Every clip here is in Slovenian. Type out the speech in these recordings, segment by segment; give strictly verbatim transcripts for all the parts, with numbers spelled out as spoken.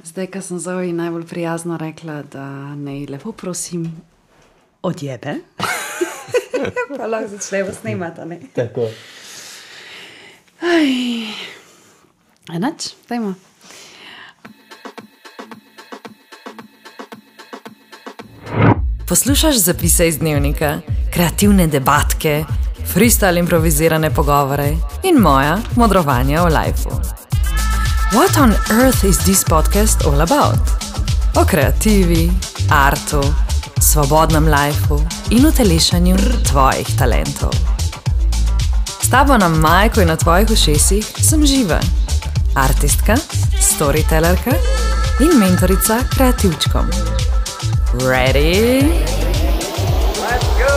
Zdaj, ko sem Zoji najbolj prijazno rekla, da naj lepo prosim odjebe, pa lahko začnemo snemati, ne? Tako. Aj, enač, dajmo. Poslušaš zapise iz dnevnika, kreativne debatke, freestyle improvizirane pogovore in moja modrovanja o lifeu. What on earth is this podcast all about? O kreativi, artu, svobodnem lifeu in utelešanju tvojih talentov. S tabo na majku in na tvojih ušesih sem Živa, artistka, storytellerka in mentorica kreativčkom. Ready? Let's go!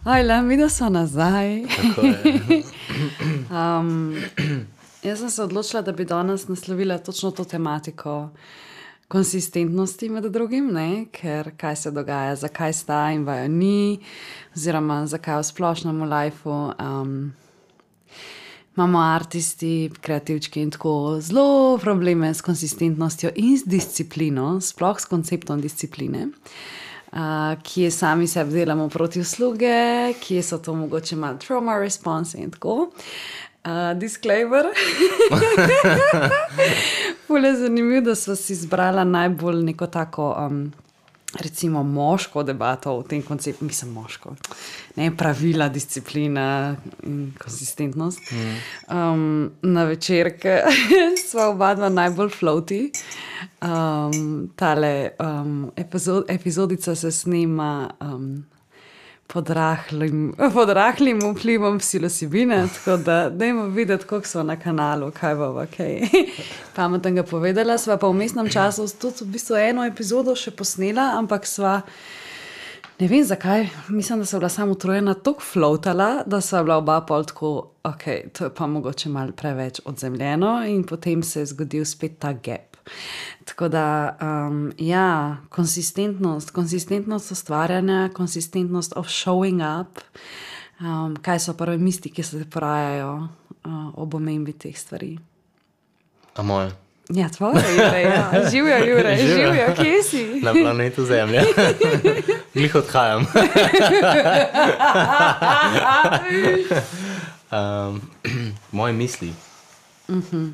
Ajla, mi da so nazaj. Tako je. um, jaz sem se odločila, da bi danes naslovila točno to tematiko konsistentnosti med drugim, ne? Ker kaj se dogaja, zakaj sta in vajo ni, oziroma zakaj v splošnem v lifeu. Um, imamo artisti, kreativčki in tako zelo probleme s konsistentnostjo in s disciplino, sploh s konceptom discipline. Uh, kje sami sebi delamo proti usluge, kje so to mogoče malo trauma response in tako. Uh, disclaimer. Ful je zanimivo, da sva si izbrala najbolj neko tako, um, recimo moško debato v tem konceptu, mislim moško, ne, pravila, disciplina in konsistentnost. Mm. Um, na večerke sva oba dva najbolj floaty. Um, tale um, epizod, epizodica se snema um, pod rahlim, pod rahlim vplivom psilocibine, tako da dajmo videti, koliko so na kanalu, kaj bova, kaj pametnega povedala. Sva pa v mestnem času tudi v bistvu eno epizodo še posnela, ampak sva, ne vem zakaj, mislim, da sva bila samo utrujena, toliko floatala, da sva bila oba pol tako, ok, to je pa mogoče malo preveč odzemljeno in potem se je zgodil spet ta gap. Tako da, um, ja, konsistentnost, konsistentnost ustvarjanja, konsistentnost of showing up, um, kaj so prve misli, ki se porajajo uh, ob omembi teh stvari. A moje? Ja, tvoje, Jure, ja. Živjo, Jure, živjo, kje si? Na planetu Zemlja. Glih odhajam. um, moje misli. Mhm.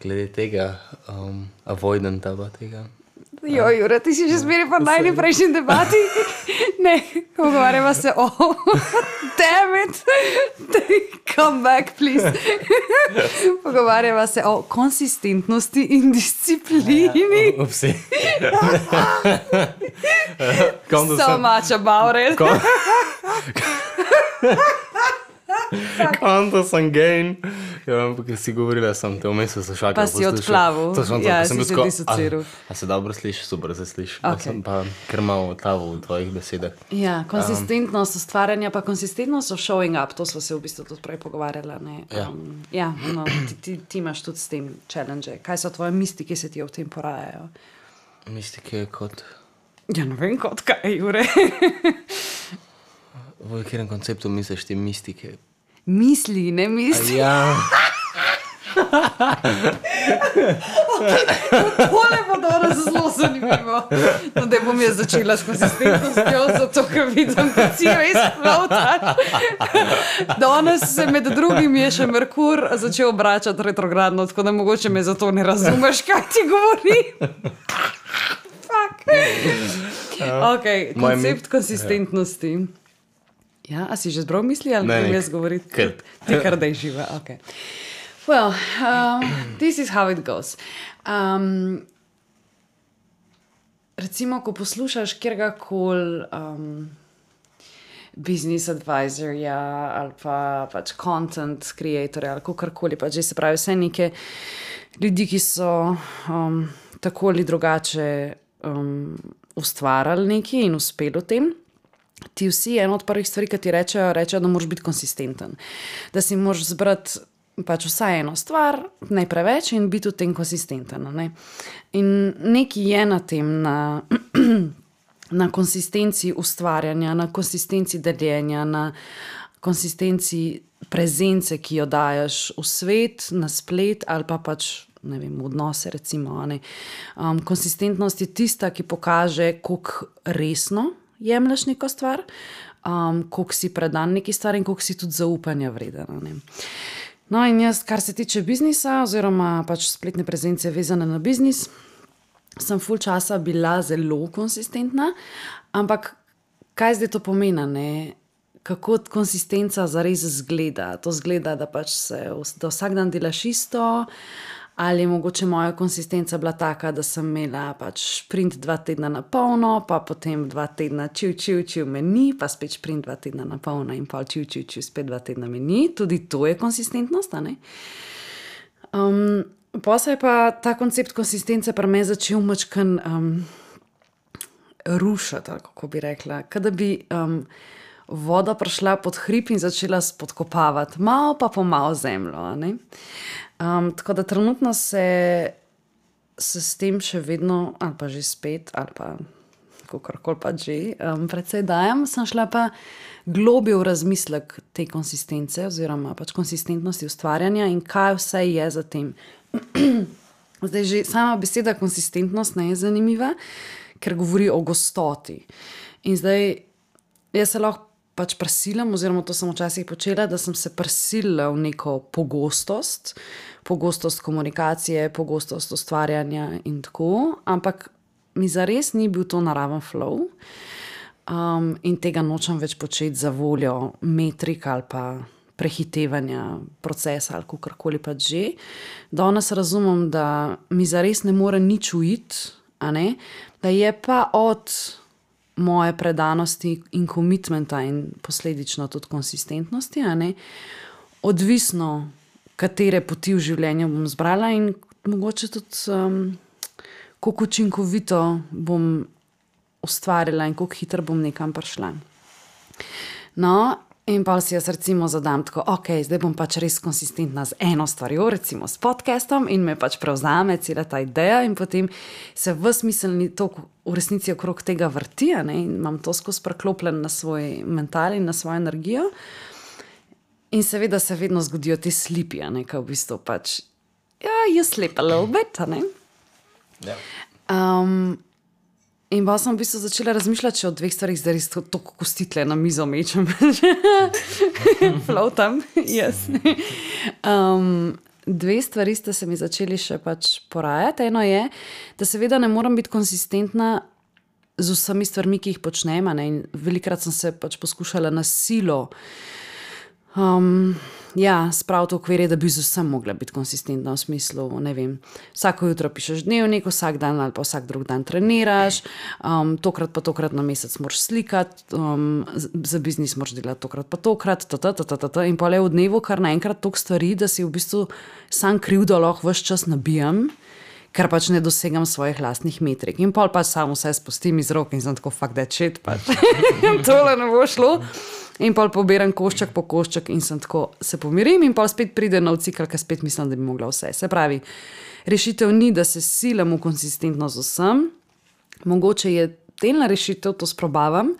Glede tega, um, avoidanta pa tega. Jo, Jure, ti si že zmeri pa najni prejšnji debati. Ne, pogovarjava se o damn it, come back, please. Pogovarjava se o konsistentnosti in disciplini. Ja, upsi. So much about it. Konto sem gain. Ja, ampak si govorila, sem te vmes slušalke. Pa si odplavil. Ja, sem si se disociral. A, a se dobro sliši? Super se sliši. Okay. Sem pa kar malo odplavil v tvojih besedah. Ja, konsistentnost ustvarjanja, pa konsistentnost of showing up, to smo se v bistvu tudi prej pogovarjala. Ne? Ja. Um, ja, no, ti, ti, ti imaš tudi s tem challenge. Kaj so tvoje misli, ki se ti v tem porajajo? Mistike kot... Ja, ne vem kot kaj, Jure. V katerem konceptu misliš te mistike? Misli, ne misli. Ja. Okay, tole bo danes zelo zanimivo. No, da bom jaz začela s konsistentnostjo, zato ker vidim, da si res floataš. Danes se med drugim je še Merkur začel obračati retrogradno, tako da mogoče me zato ne razumeš, kaj ti govorim. Fuck. Ok, koncept konsistentnosti. Ja, a si že zbral misli ali ne jaz govoriti? Kar. Ti kar daj živa, ok. Well, um, this is how it goes. Um, recimo, ko poslušaš kjergakoli um, business advisorja ali pa pač content creatorja ali kakorkoli, pač že se pravi vse neke ljudi, ki so um, tako ali drugače um, ustvarjali nekaj in uspeli v tem. Ti vsi, eno od prvih stvari, ki ti rečejo, rečejo, da moraš biti konsistenten. Da si moraš zbrati pač vsaj eno stvar, ne preveč in biti v tem konsistenten. Ne? In nekaj je na tem, na na konsistenci ustvarjanja, na konsistenci deljenja, na konsistenci prezence, ki jo daješ v svet, na splet ali pa pač, ne vem, v odnose recimo. Ne. Um, konsistentnost je tista, ki pokaže, koliko resno jemlješ neko stvar, um, koliko si predan neki stvari in koliko si tudi zaupanja vreden. Ne. No in jaz, kar se tiče biznisa oziroma pač spletne prezence vezane na biznis, sem ful časa bila zelo konsistentna, ampak kaj zdaj to pomeni, ne? Kako konsistenca zares zgleda? To zgleda, da pač se da vsak dan delaš isto, ali je mogoče moja konsistenca bila taka, da sem imela pač sprint dva tedna na polno, pa potem dva tedna čiv, čiv, čiv me ni, pa spet sprint dva tedna na polno in pol čiv, čiv, čiv, spet dva tedna me ni. Tudi to je konsistentnost, a ne? Um, Pa se je pa ta koncept konsistence pri meni začel mačkan um, rušati, kako bi rekla. Kada bi um, voda prišla pod hrib in začela spodkopavati, malo pa po malo zemljo. Ne? Um, tako da trenutno se, se s tem še vedno, ali pa že spet, ali pa kakorkoli pa že, um, predvsej dajem, sem šla pa globje v razmislek te konsistence oziroma pač konsistentnosti ustvarjanja in kaj vse je za tem. Zdaj že sama beseda konsistentnost ne je zanimiva, ker govori o gostoti. In zdaj jaz se lahko pač prisilim, oziroma to sem včasih počela, da sem se prisilila v neko pogostost, pogostost komunikacije, pogostost ustvarjanja in tako, ampak mi zares ni bil to naraven flow um, in tega nočem več početi za voljo metrik ali pa prehitevanja procesa ali kakorkoli pa že. Danes razumem, da mi zares ne more nič uiti, a ne, da je pa od moje predanosti in komitmenta in posledično tudi konsistentnosti, a ne, odvisno, katere poti v življenju bom zbrala in mogoče tudi um, koliko učinkovito bom ustvarila in koliko hitro bom nekam prišla. No, in pa si jaz recimo zadam tako, ok, zdaj bom pač res konsistentna z eno stvarjo, recimo s podcastom in me pač prevzame cela ta ideja in potem se v smiselni tok v resnici okrog tega vrti, ne, in imam to skozi preklopljen na svoj mental in na svojo energijo. In seveda se vedno zgodijo te slipi, ne, ko v bistvu pač, ja, you slip a little bit, ne. Ja. Um, In pa sem v bistvu začela razmišljati še o dveh stvarih, zdaj res toliko kostitle na mizo mečem. Floatam, yes. Um, dve stvari ste se mi začeli še pač porajati. Eno je, da seveda ne moram biti konsistentna z vsemi stvarmi, ki jih počnem, ne? In velikrat sem se pač poskušala na silo um, ja, spraviti v okvirje, da bi z vsem mogla biti konsistentna v smislu, ne vem, vsako jutro pišeš dnevnik, vsak dan ali pa vsak drug dan treniraš, um, tokrat pa tokrat na mesec moraš slikati, um, za biznis moraš delati tokrat pa tokrat, tata, tata, tata, in pa le v dnevu kar naenkrat toliko stvari, da si v bistvu sam krivdo lahko ves čas nabijam, ker pač ne dosegam svojih lastnih metrik. In pol pač samo vse spustim iz rok in sem tako, fuck that shit, pač. Tole ne bo šlo. In pol poberam košček po košček in sem tako, se pomirim in pol spet pride nov cikl, ker spet mislim, da bi mogla vse. Se pravi, rešitev ni, da se silam v konsistentnost z vsem. Mogoče je delna rešitev, to sprobavam,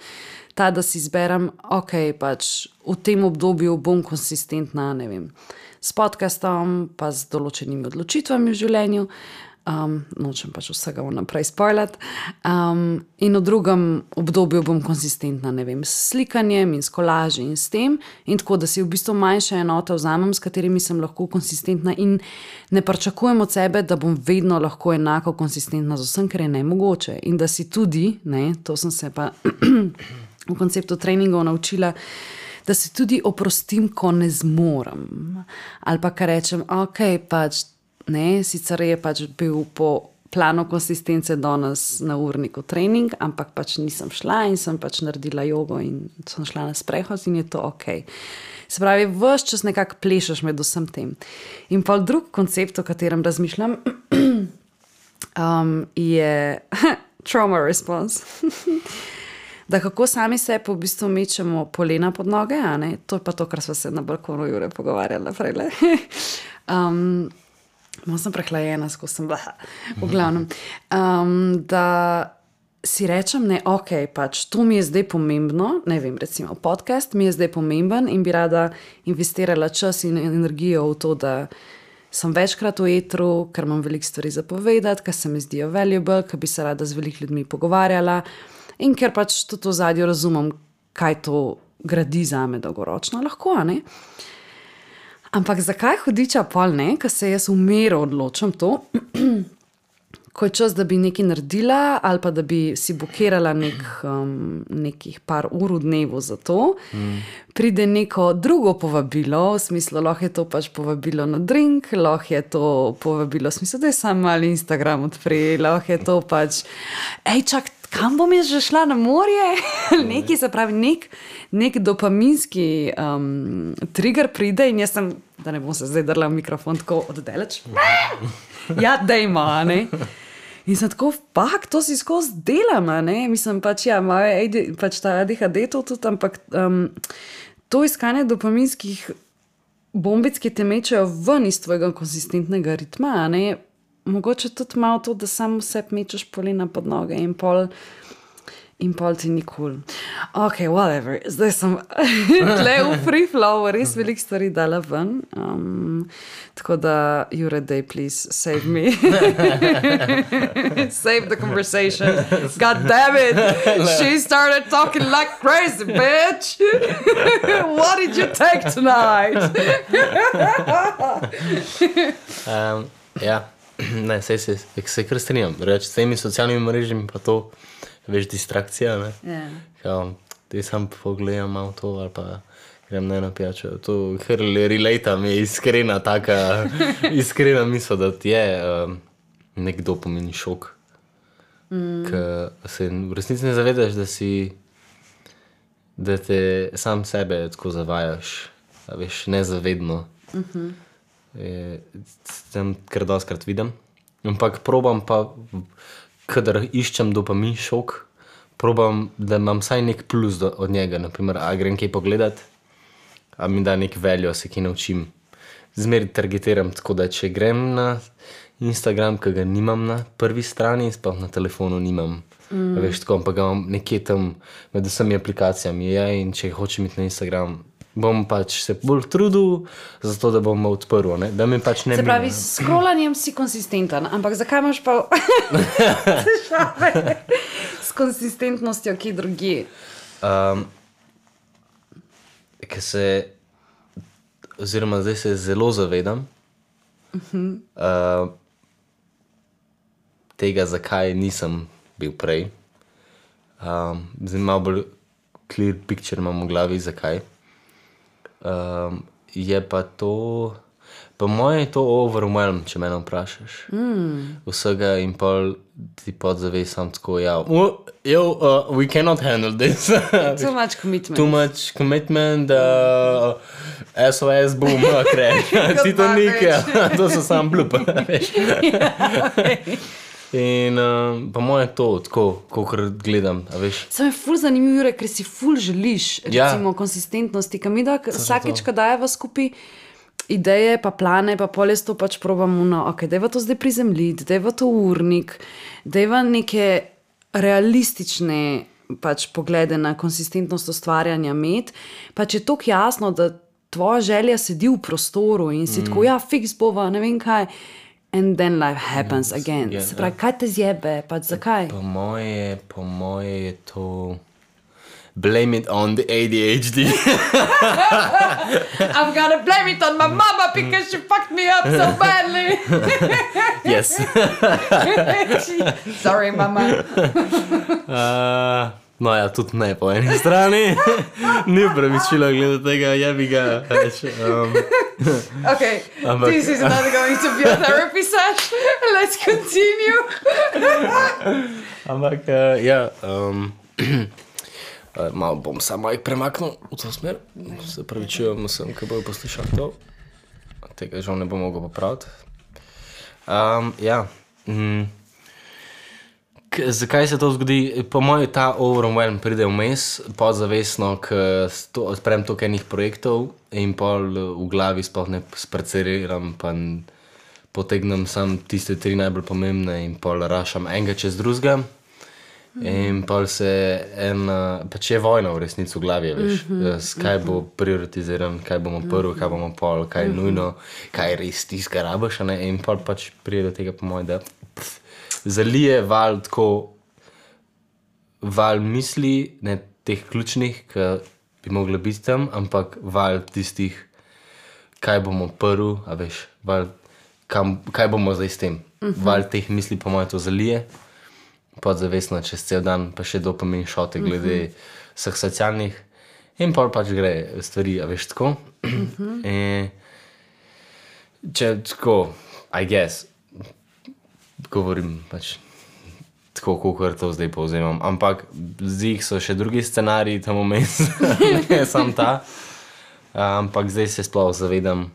ta, da si izberem, ok, pač v tem obdobju bom konsistentna, ne vem, s podcastom, pa z določenimi odločitvami v življenju. Um, nočem pač vsega vnaprej spoilati. Um, in v drugem obdobju bom konsistentna, ne vem, s slikanjem in s kolaži in s tem. In tako, da si v bistvu manjše enote vzamem, s katerimi sem lahko konsistentna in ne pričakujem od sebe, da bom vedno lahko enako konsistentna z vsem, ker je nemogoče. In da si tudi, ne, to sem se pa v konceptu treningov naučila, da se tudi oprostim, ko ne zmorem. Ali pa kar rečem, ok, pač ne, sicer je pač bil po planu konsistence danes na urniku trening, ampak pač nisem šla in sem pač naredila jogo in sem šla na sprehod in je to ok. Se pravi, ves čas nekako plešeš med vsem tem. In pa drug koncept, o katerem razmišljam, um, je trauma response. Da kako sami se po bistvu mečemo polena pod noge, a ne? To je pa to, kar sva se na balkonu Jure pogovarjala prejle. um, Malo sem prehlajena, skozi sem bila, v glavnem. Um, da si rečem, ne, ok, pač to mi je zdaj pomembno, ne vem, recimo podcast mi je zdaj pomemben in bi rada investirala čas in energijo v to, da sem večkrat v etru, ker imam veliko stvari za povedati, ker se mi zdijo valuable, ker bi se rada z veliko ljudmi pogovarjala in ker pač tudi v zadju razumem, kaj to gradi zame dolgoročno, lahko, ne? Ampak zakaj hudiča pol ne, ker se jaz v miru odločam to, ko je čas, da bi nekaj naredila ali pa da bi si bukirala nek, um, nekih par ur v dnevu za to, mm. pride neko drugo povabilo, v smislu, lahko je to pač povabilo na drink, lahko je to povabilo, v smislu, da je sam mali Instagram odpri, lahko je to pač, ej, čak, kam bom jaz že šla na morje? Nekaj, se pravi, nek, nek dopaminski um, trigger pride in jaz sem, da ne bom se zdaj drla v mikrofon tako oddeleč. Ja, dejmo, ne? In sem tako, pak, to si skozi delam, ne? Mislim, pač ja, moje, pač ta A D H D to tudi, ampak um, to iskanje dopaminskih bombic, ki te mečejo ven iz tvojega konsistentnega ritma, ne? Mogoče tudi malo to, da samo vse mečeš polena pod noge in pol in pol ti ni cool. Ok, whatever. Zdaj sem tle v free flow, res veliko stvari dala ven. Um, tako da, Jure, dej, please, save me. Save the conversation. God damn it! She started talking like crazy, bitch! What did you take tonight? um, ja, ne, sej se, se kar strinjam. Reč, s temi socialnimi mrežami pa to veš distrakcija, ne? Yeah. Kao, te sam pogledam malo to, ali pa grem ne na pijačo. To kar relata mi je iskrena taka, iskrena misel, da ti je um, nek dopamin šok. Mm. Ker se v resnici ne zavedaš, da si, da te sam sebe tako zavajaš, a veš, nezavedno. Mm-hmm. Je, tem kar doskrat vidim. Ampak probam pa, kadar iščem dopamin šok, probam, da imam vsaj nek plus do, od njega. Naprimer, a grem kaj pogledat, a mi da nek veljo, se kaj naučim. Zmeri targetiram tako, da če grem na Instagram, ki ga nimam na prvi strani, sploh na telefonu nimam. Mm. Veš, tako, ampak ga imam nekje tam med vsemi aplikacijami. Ja, in če hočem iti na Instagram, bom pač se bolj trudil, zato da bom odprl, ne? Da mi pač ne Se pravi, mine. s scrollanjem si konsistenten, ampak zakaj imaš pa težave s konsistentnostjo, ki drugi? Um, ker se, oziroma zdaj se zelo zavedam uh-huh. uh, tega, zakaj nisem bil prej. Um, zdaj malo bolj clear picture imam v glavi, zakaj. Um, je pa to, po moje je to overwhelm, če mene vprašaš. Mm. Vsega in pol ti podzavej sam tako, ja, oh, yo, uh, we cannot handle this. Too much commitment. Too much commitment, uh, S O S, boom, crash. Ti to nikaj, to so sam blup. Ja, okay. In um, pa moje to, tako, kakor gledam, a veš. Sam je ful zanimiv, Jure, ker si ful želiš, recimo, ja. Konsistentnosti. Kam mi da, vsakič, ko dajeva skupaj ideje, pa plane, pa pol jaz to pač probam, no, ok, dajva to zdaj prizemljiti, dajva to urnik, dajva neke realistične pač poglede na konsistentnost ustvarjanja med, pač je toliko jasno, da tvoja želja sedi v prostoru in si mm. tako, ja, fiks bova, ne vem kaj. And then life happens yes, again. Yeah, se pravi, kaj te zjebe, pač zakaj? Po moje, po moje je to blame it on the A D H D. I'm gonna blame it on my mama because she fucked me up so badly. Yes. Sorry, mama. uh, no ja, tudi ne po eni strani. Ni upravičilo glede tega, jebi ga. Um, Okay, ampak, this is not going to be a therapy session. Let's continue. Ampak, uh, ja, um, uh, malo bom samo jih premaknil v to smer. Se pravičujem vsem, ki bojo poslušali to. Tega žal ne bom mogel popraviti. Um, ja, mm, k, zakaj se to zgodi? Po mojem ta overwhelm pride vmes, podzavestno, k to, odprem toliko enih projektov in pol v glavi sploh ne spraceriram, pa potegnem sam tiste tri najbolj pomembne in pol rašam enega čez drugega. In pa se ena, pač je vojna v resnici v glavi, veš, mm-hmm. kaj bo prioritiziran, kaj bomo prvi, kaj bomo pol, kaj je mm-hmm. nujno, kaj je res tiska rabaš, ne, in pa pač prije do tega po moj, da pff, zalije val tako, val misli, ne teh ključnih, ki bi mogli biti tam, ampak val tistih, kaj bomo prvi, a veš, val, kam, kaj bomo zdaj s tem, mm-hmm. val teh misli po moj to zalije, podzavestno čez cel dan, pa še dopamin šote glede uh-huh. vseh socialnih in pol pač gre stvari, a veš, tako. Uh-huh. In če tako, I guess, govorim pač tako, kakor to zdaj povzemam, ampak zdaj so še drugi scenariji tam vmes, ne sam ta, ampak zdaj se sploh zavedam,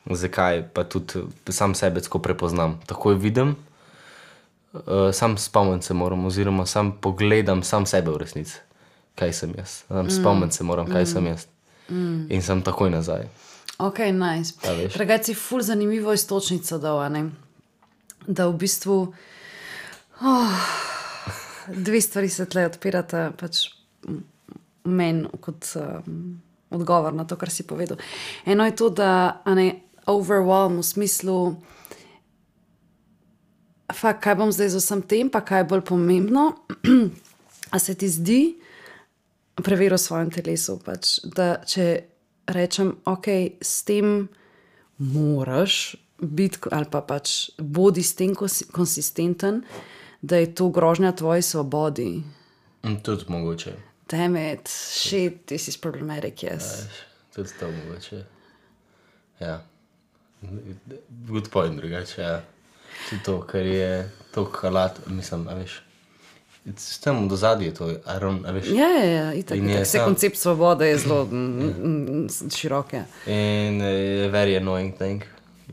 zakaj, pa tudi sam sebe tako prepoznam. Takoj vidim, Uh, sam spomnim se moram, oziroma sam pogledam sam sebe v resnici, kaj sem jaz. Sam mm. spomnim se moram, kaj mm. sem jaz. Mm. In sem takoj nazaj. Ok, nice. Pregaj si ful zanimivo istočnico dal, ne? Da v bistvu oh, dve stvari se tle odpirata pač meni kot um, odgovor na to, kar si povedal. Eno je to, da a ne, overwhelm v smislu fakt, kaj bom zdaj z vsem tem, pa kaj je bolj pomembno, a se ti zdi, preveri v svojem telesu, pač, da če rečem, ok, s tem moraš biti, ali pa pač bodi s tem konsistenten, da je to grožnja tvoji svobodi. Tudi mogoče. Damn it, shit, this is problematic, yes. Ja, tudi to mogoče. Ja. Good point, drugače, ja. Tudi to, kar je to kalat, mislim, a veš, s tem do zadnje to, a veš. Ja, ja, ja, itak, itak. Vse sam... koncept svobode je zelo širok, ja. In uh, very annoying thing,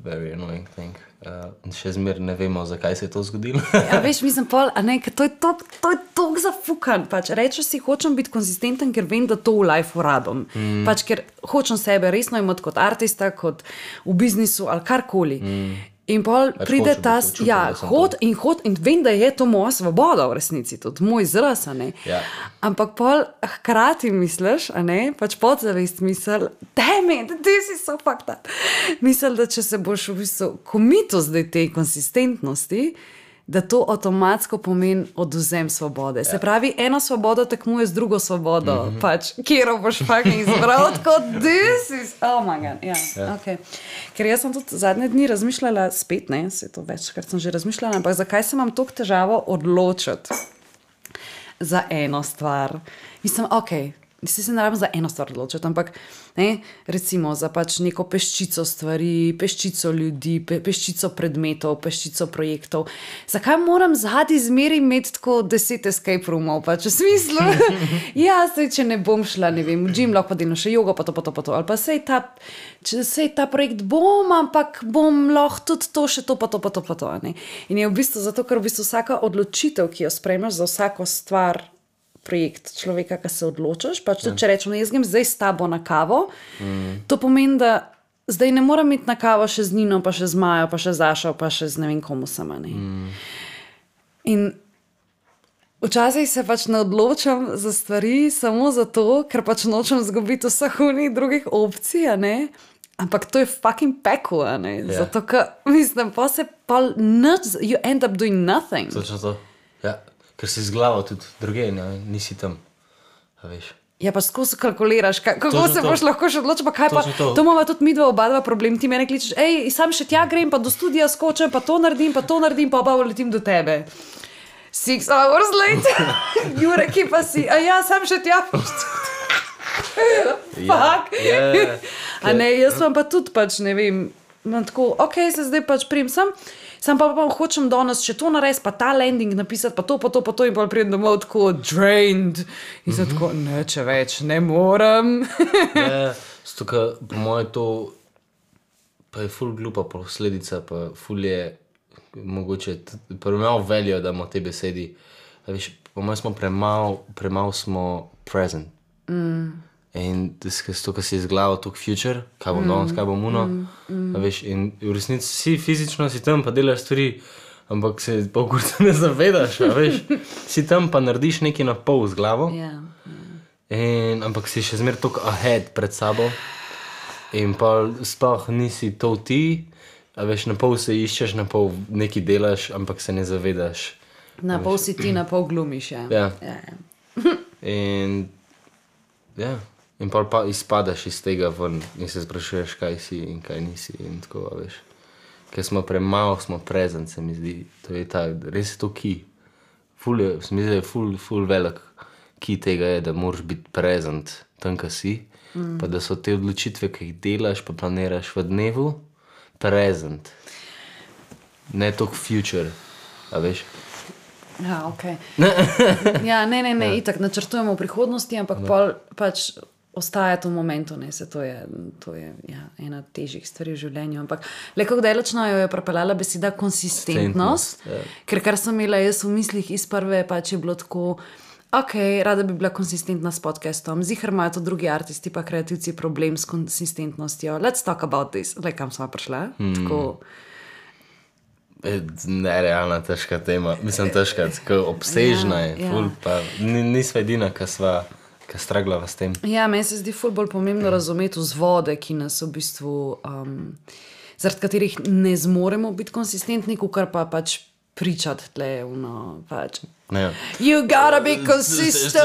very annoying thing. Uh, še zmer ne vemo, zakaj se je to zgodilo. Ja, veš, mislim, pol, a ne, to je to, to je tok zafukan, pač, rečeš si, hočem biti konsistenten, ker vem, da to v life rabim. Mm. Pač, ker hočem sebe resno imeti kot artista, kot v biznisu ali karkoli. Mm. In pol Več pride ta, čutil, ja, hod in hod in vem, da je to moja svoboda v resnici, tudi moj izraz, a ne. Ja. Ampak pol hkrati misliš, a ne, pač podzavest misel, damn it, this is so fucked up. Misel, da če se boš v bistvu komito zdaj tej konsistentnosti, da to avtomatsko pomeni odvzem svobode. Ja. Se pravi, eno svobodo tekmuje z drugo svobodo, mm-hmm. pač, kjero boš fucking izbral, tako this is, oh my god, ja, ja. ok. Ker jaz sem tudi zadnje dni razmišljala spet, ne, se to večkrat sem že razmišljala, ampak zakaj se imam toliko težavo odločiti za eno stvar? Mislim, ok, si se ne rabim za eno stvar odločiti, ampak ne, recimo za pač neko peščico stvari, peščico ljudi, pe, peščico predmetov, peščico projektov. Zakaj moram zadnji zmeri imeti tako deset escape roomov, pač v smislu? Ja, sej, če ne bom šla, ne vem, v gym lahko delno še jogo, pa to, pa to, pa to, ali pa sej ta, če sej ta projekt bom, ampak bom lahko tudi to, še to, pa to, pa to, pa to, ne. In je v bistvu zato, ker v bistvu vsaka odločitev, ki jo sprejmeš za vsako stvar, projekt človeka, ki se odločaš, pač tudi, če rečem, jaz grem zdaj s tabo na kavo, mm. to pomeni, da zdaj ne moram iti na kavo še z Nino, pa še z Majo, pa še z Ašo, pa še z ne vem komu sama, ne. Mm. In včasih se pač ne odločam za stvari samo zato, ker pač nočem zgubiti vseh unih drugih opcij, a ne. Ampak to je fucking pekel, a ne. Yeah. Zato, ker mislim, pa se pa nič, you end up doing nothing. Točno to, ja. Ker si z glavo tudi druge, ne, nisi tam, a veš. Ja, pa skozi kalkuliraš, ka, kako Točno se to. Boš lahko še odločil, pa kaj Točno pa, to, to imamo tudi midva oba dva problem, ti mene kličeš, ej, sam še tja grem, pa do studija skočem, pa to naredim, pa to naredim, pa oba letim do tebe. Six hours later, Jure, ki pa si, a ja, sam še tja. Fuck. Yeah, yeah. A ne, jaz vam pa tudi pač, ne vem, imam tako, ok, se zdaj pač prijem sem, sam pa, pa hočem danes še to narediti, pa ta landing napisati, pa to, pa to, pa to in pa pridem domov tako drained. In sem mm-hmm. tako, ne, če več, ne morem. Ja, zato, ka, po moje to, pa je ful glupa posledica, pa ful je mogoče, pa malo veljo, da imamo te besedi. A veš, po moje smo premal, premal smo present. Mm. In to, kar si izgledal, tok future, kaj bom mm. danes, kaj bom uno, mm. mm. veš, in v resnici si fizično si tam, pa delaš stvari, ampak se pokrat ne zavedaš, a veš, si tam pa narediš nekaj na pol z glavo, Ja. in, ampak si še zmer toliko ahead pred sabo in pa sploh nisi to ti, a veš, na pol se iščeš, na pol nekaj delaš, ampak se ne zavedaš. Na pol si ti, na pol glumiš, ja. Ja. Ja, ja. In, ja, in pol pa izpadaš iz tega ven in se sprašuješ, kaj si in kaj nisi in tako, a veš. Ker smo premalo, smo present, se mi zdi. To je ta, res je to key. Ful je, se mi zdi, da je ful, ful velik key tega je, da moraš biti present tam, ka si, mm. pa da so te odločitve, ki jih delaš, pa planiraš v dnevu, present. Ne toliko future, a veš. Ja, okej. Ja, ne, ne, ne, itak načrtujemo v prihodnosti, ampak pol pač ostaja to v momentu, ne, se to je, to je ja, ena težjih stvari v življenju, ampak le kako dalečno jo je prepeljala beseda konsistentnost, ja. Ker kar sem imela jaz v mislih iz prve, pač je bilo tako, ok, rada bi bila konsistentna s podcastom, zihar imajo to drugi artisti pa kreativci problem s konsistentnostjo, let's talk about this, le kam smo prišla, hmm. tako... Nerealna, težka tema, mislim težka, tako obsežna je, ja, ful, ja. Pa nisva edina, ka sva ki straglava s tem. Ja, meni se zdi ful bolj pomembno razumeti vzvode, ki nas v bistvu, um, zaradi katerih ne zmoremo biti konsistentni, kar pa pač pričati tle, no, pač. Ja. You gotta be consistent!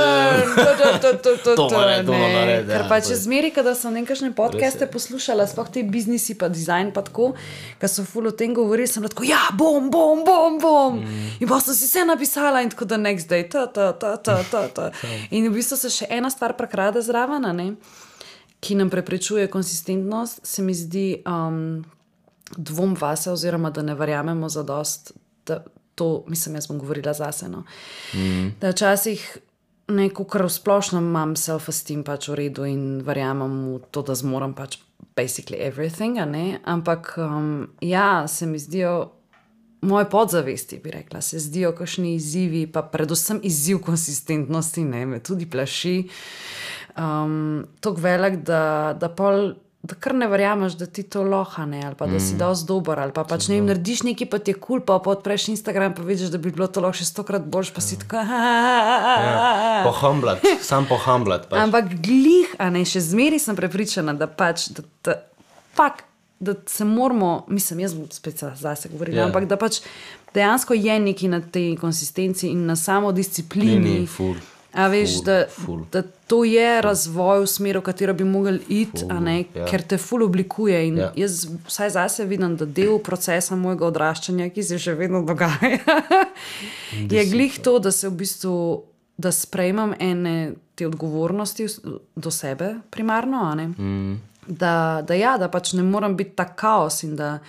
To mora, to mora narediti. Ker pač je zmeri, kada sem nekakšne podcaste poslušala, sploh te biznisi pa dizajn pa tako, kad so ful o tem govorili, sem tako, ja, bom, bom, bom, bom. Mm. In pa sem si vse napisala in tako the next day, ta, ta, ta, ta, ta, ta. In v bistvu se še ena stvar prekrada zraven, ne, ki nam preprečuje konsistentnost, se mi zdi um, dvom vase oziroma, da ne verjamemo zadost, da to, mislim, jaz bom govorila zase, no. Mm. Da včasih neko, kar v splošnem imam self-esteem pač v redu in verjamem v to, da zmoram pač basically everything, a ne, ampak um, ja, se mi zdijo moje podzavesti, bi rekla, se zdijo kakšni izzivi, pa predvsem izziv konsistentnosti, ne, me tudi plaši um, toliko velik, da, da pol da kar ne verjameš, da ti to loha, ne, ali pa da si dosti dober, ali pa pač ne vem, narediš nekaj, pa ti je cool, pa pa odpreš Instagram, pa vidiš, da bi bilo to lahko še stokrat boljš, pa si tako... Ja, pohamblat, sam pohamblat. Pač. Ampak glih, a ne, še zmeri sem prepričana, da pač, da, da, fak, da se moramo, mislim, jaz bom spet zase govorila, yeah. ampak da pač dejansko je nekaj na tej konsistenci in na samodisciplini. Ni, ni, ful. A veš, Ful, da, ful. da to je razvoj v smeru, v katero bi mogli iti, a ne, ja. ker te ful oblikuje in Ja. jaz vsaj zase vidim, da del procesa mojega odraščanja, ki se še vedno dogaja, je glih to, da se v bistvu, da sprejmem ene te odgovornosti do sebe primarno, a ne, Mm. da, da ja, da pač ne moram biti tak kaos in da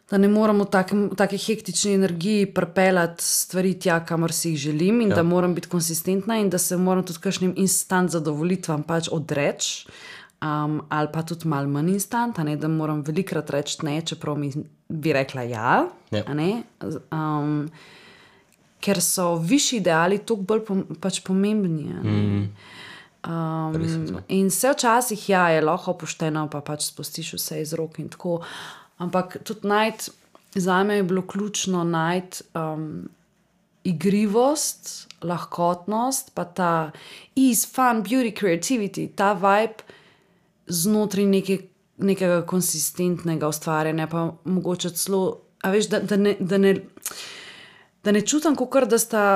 da ne moram v takem, taki hektični energiji pripeljati stvari tja, kamor si jih želim in ja. da moram biti konsistentna in da se moram tudi kakšnim instant zadovolitvam pač odreči, um, ali pa tudi malo manj instant, a ne, da moram velikrat reči ne, čeprav mi bi rekla ja, Ja. a ne, um, ker so višji ideali toliko bolj pom, pač pomembni, a ne. Mm. Um, in vse včasih ja, je lahko pošteno, pa pač spustiš vse iz rok in tako, ampak tudi najti, zame je bilo ključno najti um, igrivost, lahkotnost, pa ta ease, fun, beauty, creativity, ta vibe znotraj neke, nekega konsistentnega ustvarjanja, pa mogoče celo, a veš, da, da, ne, da, ne, da ne čutim kakor, da sta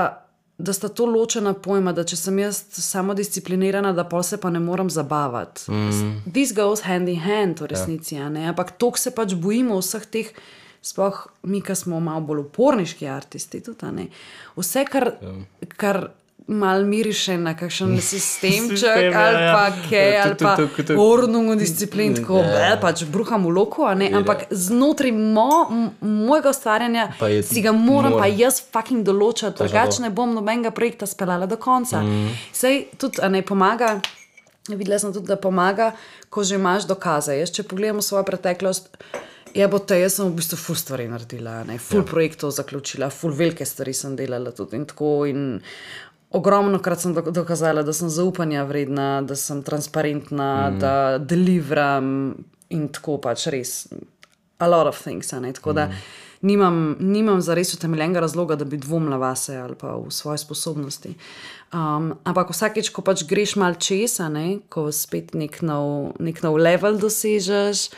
da sta to ločena pojma, da če sem jaz samodisciplinirana, da pol se pa ne moram zabavati. Mm. This goes hand in hand v resnici, ja. ne? Ampak toliko se pač bojimo vseh teh, sploh mi, ki smo malo bolj uporniški artisti, tudi, a ne? Vse, kar, ja. kar malo miriše na kakšen sistemček, Sistem, ja, ali pa ja. kaj, Ja, ali tuk, pa tuk, tuk, tuk. ordnungo disciplin, tako, Ja. bel, pač bruham v loku, a ne, ampak znotraj mo, m- mojega ustvarjanja Pa je- si ga moram mora. pa jaz fucking določati, Točno drugače to. ne bom nobenega projekta speljala do konca. Mm. Sej tudi, a ne, pomaga, videla sem tudi, da pomaga, ko že imaš dokaze. Jaz, če pogledamo svojo preteklost, je bo te, jaz sem v bistvu ful stvari naredila, ne, ful ja. projektov zaključila, ful velike stvari sem delala tudi in tako in ogromno krat sem do- dokazala, da sem zaupanja vredna, da sem transparentna, mm. da delivram in tako pač res a lot of things, a ne, tako mm. da nimam, nimam zares utemeljenega razloga, da bi dvomila vase ali pa v svoje sposobnosti. Um, ampak vsakeč, ko pač greš mal česa, ne, ko spet nek nov, nek nov level dosežeš,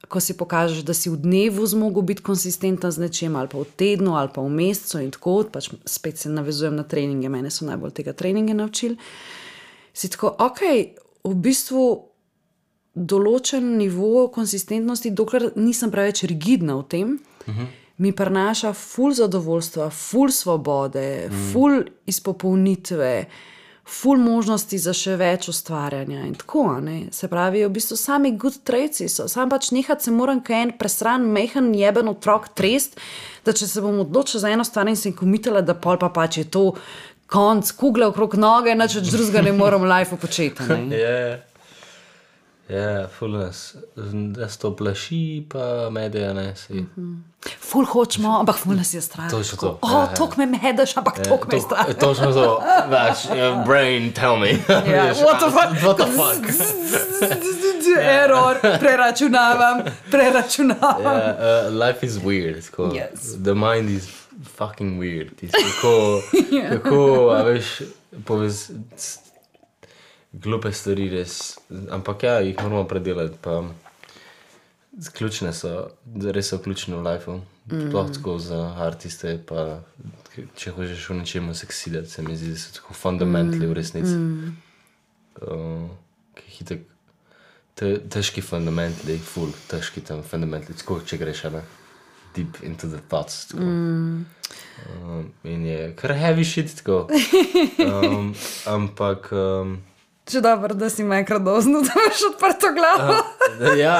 ko si pokažeš, da si v dnevu zmogel biti konsistenten z nečem, ali pa v tednu, ali pa v mesecu in tako, pač spet se navezujem na treninge, mene so najbolj tega treninge naučili, si tako, ok, v bistvu določen nivo konsistentnosti, dokler nisem preveč rigidna v tem, uh-huh. mi prinaša ful zadovoljstva, ful svobode, uh-huh. ful izpopolnitve, ful možnosti za še več ustvarjanja in tako, ne. Se pravi, v bistvu sami good traitsi so, sam pač nehat se moram kaj en presran, mehen, jeben otrok trest, da če se bom odločila za eno stvar in sem komitala, da pol pa pač je to konc, kugle okrog noge, nič več drugega ne moram v lifeu početi, ne. Ja, ja, ful nas, nas to plaši, pa medeja, ne, si. Ful hočemo, ampak ful nas je strah. To je to. O, oh, tok me medeš, ampak tok me je strah. Točno to, vaš, brain, tell me. Ja, what the fuck? What the fuck? Error, preračunavam, preračunavam. Yeah, uh, life is weird, tako. Yes. The mind is fucking weird. Kako, yeah. kako, a veš, povez, glupe stvari res, ampak ja, jih moramo predelati, pa ključne so, res so ključne v lifeu, mm. sploh tako za artiste, pa če hočeš v nečemu succeedati, se mi zdi, da so tako fundamentally v resnici. Mm. Uh, ki hitek, te, težki fundamentally, full težki tam fundamentally, tako če greš, ne, deep into the thoughts, tako. Mm. Um, in je kar heavy shit, tako. Um, ampak... Um, Če dobro, da si me enkrat dozno, da imaš odprto glavo. Uh, ja,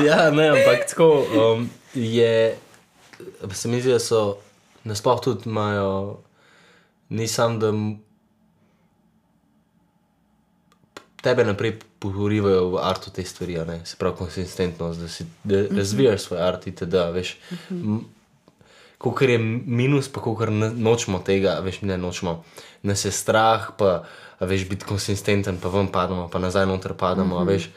ja, ne, ampak tako um, je, se mi zdi, da so, nasploh tudi imajo, nisam, da tebe naprej porivajo v artu te stvari, ne, se pravi konsistentnost, da si da razvijaš svoj art in teda, veš, m, kolikor je minus, pa kolikor nočemo tega, veš, ne nočemo, nas je strah, pa a veš, biti konsistenten, pa ven padamo, pa nazaj noter padamo, mm-hmm. a veš,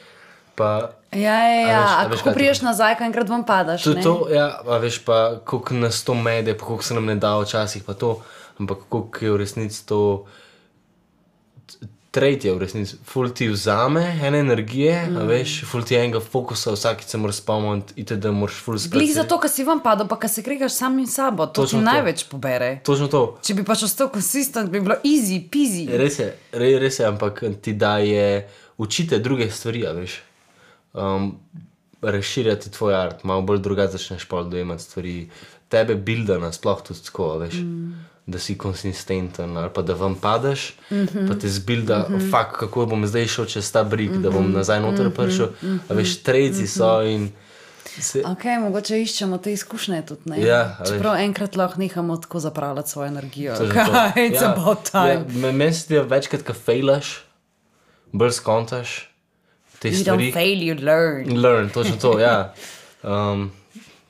pa... Ja, ja, ja, a, a, a kako priješ nazaj, ko enkrat ven padaš, to, ne? To, ja, a veš, pa koliko nas to mede, pa koliko se nam ne da včasih, pa to, ampak koliko je v resnici to... Trade je v resnici, ful ti vzame ene energije, mm. a veš, ful ti enega fokusa, vsakič se moraš spomniti, ite da moraš ful sprati. Glih zato, ko si ven padal, pa ko se kregaš sam in sabo, to ti največ pobere. Točno to. Če bi pač ostal konsistent, bi bilo easy, peasy. Res je, res, res je, ampak ti daje, učite druge stvari, a veš, um, razširjati tvoj art, malo bolj drugače začneš pol dojemati stvari, tebe builda nasploh tudi tako, a veš. Mm. Da si konsistenten ali pa da vam padeš, mm-hmm. pa te zbilda, mm-hmm. fakt, kako bom zdaj šel čez ta brik, mm-hmm. da bom nazaj noter prišel, mm-hmm. a veš, trejci so in... Se... Ok, mogoče iščemo te izkušnje tudi, ne? Ja, čeprav enkrat lahko nehamo tako zapravljati svojo energijo. Okay, it's ja, about time. Ja, meni se ti večkrat, ko fejlaš, bolj skontaš te you stvari. You don't fail, you learn. Learn, točno to, ja. Um,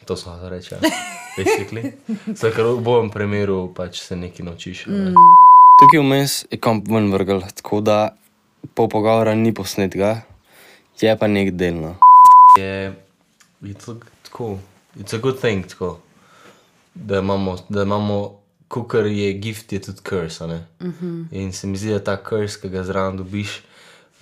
to smo to reči, ja. Basically. Zdaj, ker v bojem primeru pač se nekaj naučiš. Mm. Tukaj vmes je komp ven vrgel, tako da pol pogovora ni posnetega, je pa nek delno. Je, je to tako, it's a good thing, tako, da imamo, da imamo, kukor je gift, je tudi curse, ne? Mm-hmm. In se mi zdi, da ta curse, ki ga zraven dobiš,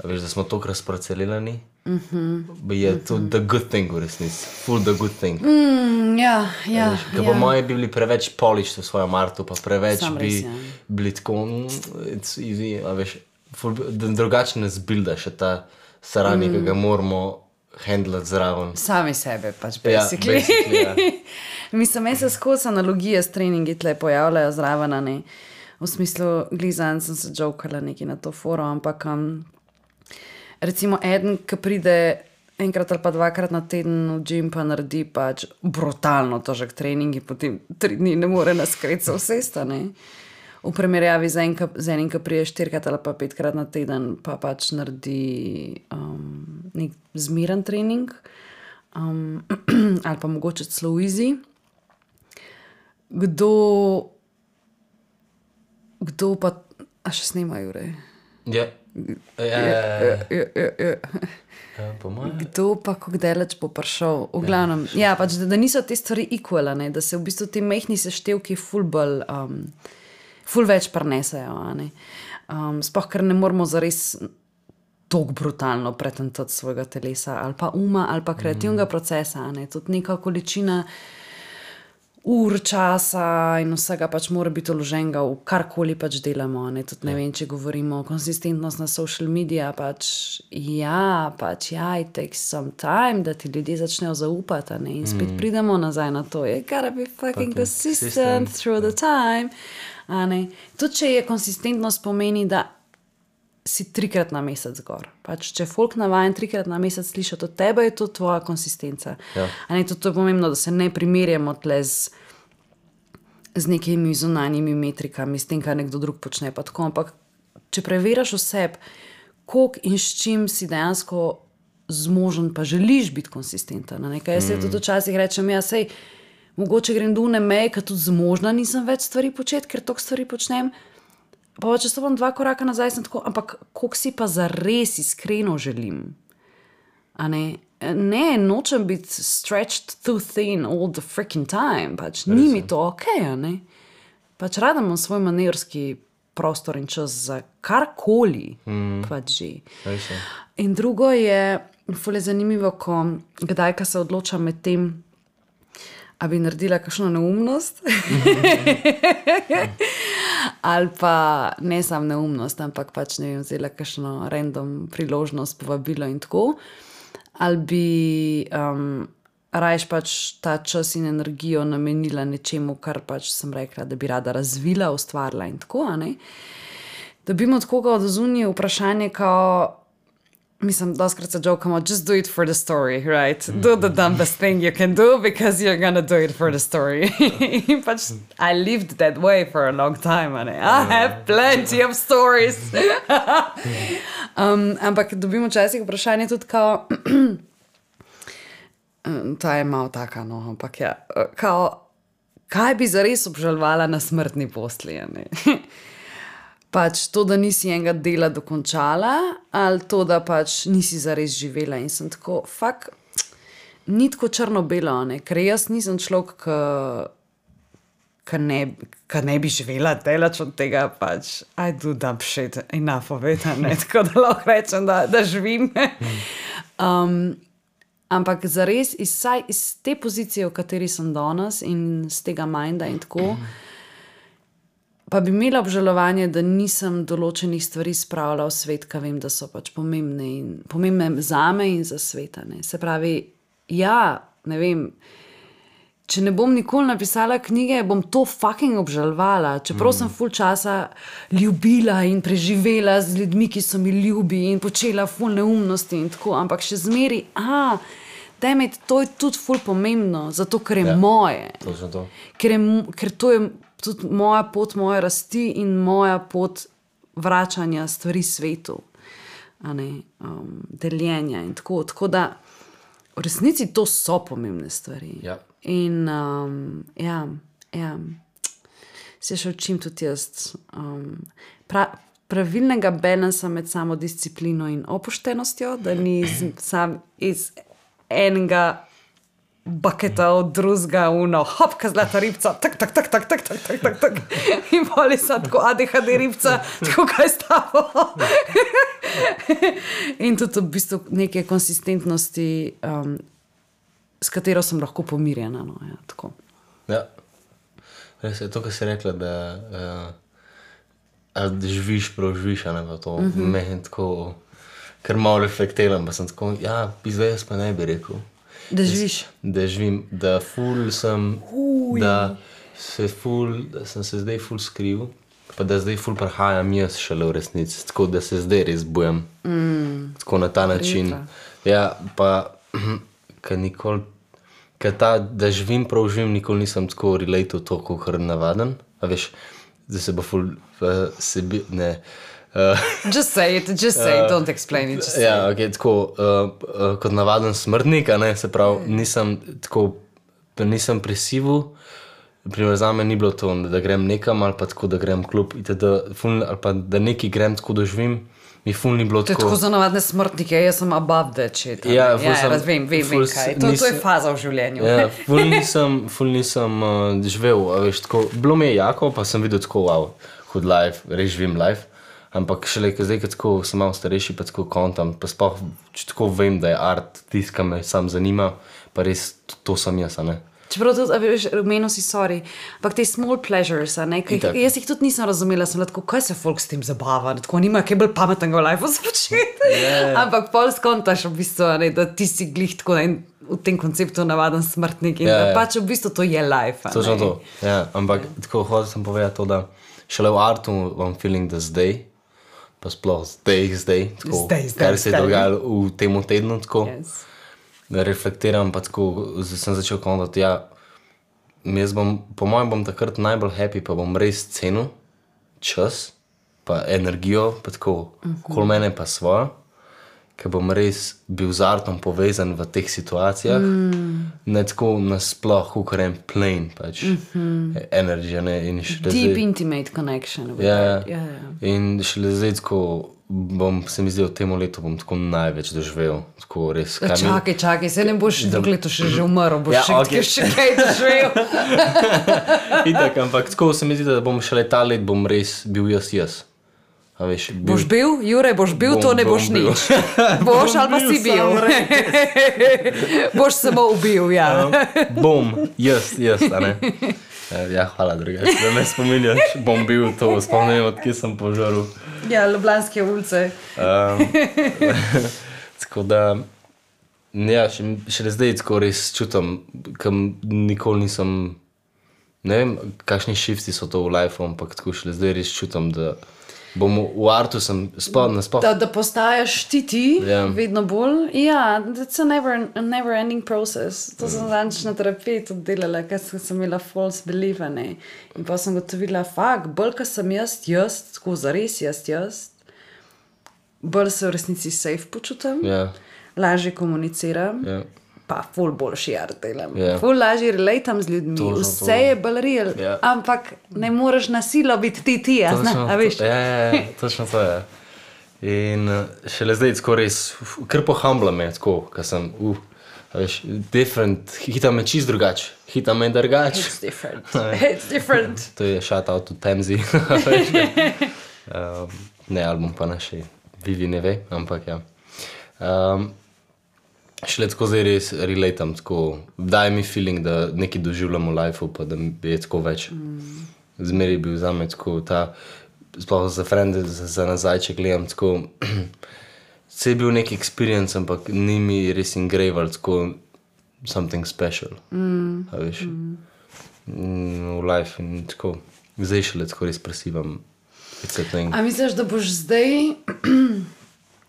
veš, da smo tokrat sparcelirani, mm-hmm. je to mm-hmm. the good thing v resnici, full the good thing. Mm, ja, ja. Ker ja. po moje bi bili preveč polished v svojem artu, pa preveč Sam bi res, ja. bili tako, it's easy, a veš, full, drugače ne zbilda še ta sarani, mm. ki ga moramo handlati zraven. Sami sebe pač, basically. Ja, basically, ja. Mislim, meni se skozi analogije s treningi tle pojavljajo zraven, ne. V smislu, glizan sem se jokala neki na to foro, ampak um, recimo eden, ki pride enkrat ali pa dvakrat na teden v gym pa naredi pač brutalno težek trening in potem tri dni ne more na skreca vsesta, ne. V primerjavi z, en, z enim, ki prije štirikrat ali pa petkrat na teden pa pač naredi um, nek zmiren trening um, ali pa mogoče celo easy. Kdo kdo pa, a še snemajo, ure? Ja. Ja, ja, ja. Ja, po moje. Kdo pa kako daleč bo prišel? V glavnem, ja, ja pač, da, da niso te stvari equal, ne? Da se v bistvu ti mehni seštevki ful bolj, um, ful več prenesejo. Um, Sploh, ker ne moramo zares tako brutalno pretentati svojega telesa ali pa uma ali pa kreativnega mm. procesa. Ne? Tudi neka količina ur časa in vsega pač mora biti vloženega v karkoli pač delamo. Ne? Tudi ne vem, če govorimo o konsistentnost na social media, pač ja, pač ja, it takes some time, da ti ljudje začnejo zaupati, ne? In spet mm. pridemo nazaj na to. You gotta be fucking consistent, consistent through the time. A ne? Tudi, če je konsistentnost pomeni, da si trikrat na mesec gor. Pač, če folk navajen trikrat na mesec slišati od tebe, je to tvoja konsistenca. Ja. A ne, to je pomembno, da se ne primerjamo tle z, z nekimi zunanjimi metrikami, s tem, kar nekdo drug počne. Pa tako, ampak, če preveraš oseb, koliko in s čim si dejansko zmožen, pa želiš biti konsistenten. Nekaj, jaz mm. se tudi včasih rečem, ja, sej, mogoče grem do une meje, ker tudi zmožna nisem več stvari početi, ker toliko stvari počnem. Pa če stopam dva koraka nazaj, sem tako, ampak koliko si pa zares iskreno želim? A ne? Ne, nočem biti stretched too thin all the freaking time. Pač ni mi to okej, okay, a ne? Pač rada imam svoj manevrski prostor in čas za karkoli. Mm. Pač že. Rejse. In drugo je, ful je zanimivo, ko kdaj, ka se odločam med tem, a bi naredila kakšno neumnost. Ali pa ne sam neumnost, ampak pač ne vem, vzela kakšno random priložnost, povabilo in tako. Ali bi um, rajš pač ta čas in energijo namenila nečemu, kar pač sem rekla, da bi rada razvila, ustvarila in tako, a ne? Dobimo od koga od zunije vprašanje, kao, mislim, doskrat se jokamo, just do it for the story, right? Do the dumbest thing you can do because you're gonna do it for the story. In pač, I lived that way for a long time, and I have plenty of stories. um, ampak dobimo včasih vprašanje tudi kao, ta je malo taka, no, ampak ja, kao, kaj bi zares obžalovala na smrtni postelji, ne? Pač to, da nisi enega dela dokončala, ali to, da pač nisi zares živela. In sem tako, fak, ni tako črno-belo, ne? Ker jaz nisem človek, ki ne, ne bi živela delač od tega, pač I do dumb shit enough of it, ne? Tako da lahko rečem, da, da živim. um, ampak zares, iz, iz te pozicije, v kateri sem danes in z tega minda in tako, pa bi imela obžalovanje, da nisem določenih stvari spravila v svet, ka vem, da so pač pomembne, in, pomembne zame in za sveta. Ne. Se pravi, ja, ne vem, če ne bom nikoli napisala knjige, bom to fucking obžalovala. Čeprav mm. sem ful časa ljubila in preživela z ljudmi, ki so mi ljubi in počela ful neumnosti in tako, ampak še zmeri, a, dajme, to je tudi ful pomembno, zato ker je ja, moje. To. Ker, je, ker to je tudi moja pot, moja rasti in moja pot vračanja stvari svetu, a ne, um, deljenja in tako. Tako da v resnici to so pomembne stvari. Ja. In um, ja, ja, se še učim tudi jaz. Um, pra, pravilnega balansa med samodisciplino in opuštenostjo, da ni z, sam iz enega baketa od drugega, uno, hopka zlata ribca, tak, tak, tak, tak, tak, tak, tak, tak, tak. In poli so tako A D H D ribca, tako kaj stavo. In tudi v bistvu neke konsistentnosti, um, s katero sem lahko pomirjena. No, ja, tako. Ja. Res je to, kar si rekla, da, uh, da živiš, prav živiš, a ne pa to. Mm-hmm. Meni tako, ker malo reflektiram, pa sem tako, ja, izvejas pa ne bi rekel. Da živiš. Da živim, da ful sem, Uj. da se ful, da sem se zdaj ful skril, pa da zdaj ful prihajam jaz šele v resnici, tako da se zdaj res bojam. Mm. Tako na ta način. Rita. Ja, pa, ker nikoli, ker ta, da živim, prav živim, nikoli nisem tako related to, kot navaden, a veš, da se bo ful, uh, sebi, ne, Uh, just say it, just say it, uh, don't explain it. Just ja, ok, tako, uh, uh, kot navaden smrtnik, a ne, se pravi, nisem tako, nisem presivu, primer za me ni bilo to, da grem nekam ali pa tako, da grem klub, itd., ali pa da neki grem tako doživim, mi ful ni bilo To je tako. tako za navadne smrtnike, jaz sem above that shit. a Ja, ne. ful ja, sem- razvem, vem, ful vem kaj. s- To, to je nisem- faza v življenju. Ja, ful nisem, ful nisem uh, živel, a veš, tako, bilo mi je jako, pa sem videl tako, wow, hud life, res živim life, ampak šele ko zdaj, ko tako sem malo starejši, pa tako kontam, pa sploh, če tako vem, da je art tisto, kar me sam zanima, pa res to, to sem jaz, a ne. Čeprav tudi, a veš, omenil si, sorry, ampak te small pleasures, a ne, ki, Itak. jaz jih tudi nisem razumela, sem bila tako, kaj se folk s tem zabava, tako nima kaj bolj pametnega v lifeu za početi. Ja. Ampak pol skontaš v bistvu, a ne, da ti si glih tako en, v tem konceptu navaden smrtnik in Ja, da ja. pač v bistvu to je life. a Točno ne. to, ja, ampak tako hotel sem povedati to, da šele v artu imam feeling, da zdaj, pa sploh zdaj, zdaj, tako, Zdaj, zdaj, kar se je zdaj. dogajalo v tem tednu, tako, Yes. da reflektiram, pa tako, zdaj sem začel kontati, ja, jaz bom, po mojem bom takrat najbolj happy, pa bom res cenil čas, pa energijo, pa tako, kol mene pa svojo, ker bom res bil z artom povezan v teh situacijah, mm. ne tako nasploh, kot en plain, pač, mm-hmm. energy, ne, in šele Deep zdaj, intimate connection. with ja, that. Ja, ja. in šele zdaj tako, bom, se mi zdi, v tem letu bom tako največ doživel, tako res, kaj mi- Čakaj, čakaj, se ne boš drugo leto še že umrl, boš Ja, še, okej. še kaj doživel. Itak, ampak tako se mi zdi, da bom šele ta let bom res bil jaz jaz. A veš, bil, Boš bil, Jure, boš bil, Bom- to ne bom boš bil. nič. Boš ali pa bil, si bil. Boš samo ubil, ja. bom, jaz, jaz, a ne. Ja, hvala drugače, da me spominjaš, bom bil to, spomnim, odkje sem požaril. Ja, Ljubljanske ulice. Um, tako da, ja, še, šele zdaj tako res čutim, kam nikoli nisem, ne vem, kakšni shifti so to v lifeu, ampak tako šele zdaj res čutim, da bom v, v artu sem, sploh, nasploh, Da, da postajaš ti ti, Ja. vedno bolj. Ja, it's a never, a never ending process. To sem zadnjič na terapiji tudi delala, ker sem sem imela false belief, a ne. In pa sem gotovila, fakt, bolj, ko sem jaz, jaz, tako zares jaz, jaz, bolj se v resnici safe počutim, ja, lažje komuniciram. ja. Pa ful boljši art delam. Ja. Ful lažje relatam z ljudmi, Točno to. vse je bolj real, Ja. ampak ne moreš na silo biti ti ti, a, zna, Točno a veš? to- Ja, ja, ja, točno to je. In uh, šele zdaj tako res, uf, kar pohambla me, tako, ker sem, uh, a veš, different, hita me čist drugače, hita me drugače. It's different. It's different. To je shout out to Temzi. a veš, um, ne, album pa naši, Vivi ne ve, ampak ja. Um, šele tako zdaj res relatam, tako, daje mi feeling, da nekaj doživljam v lifeu, pa da mi je tako več. Mm. Zmeri je bil za me tako ta, sploh za frende, za, za nazaj, če gledam, tako, se je bil nek experience, ampak ni mi res engravel, tako, something special. Mm. A veš, mm. v life in tako, zdaj šele tako res presivam. It's a thing. A misliš, da boš zdaj,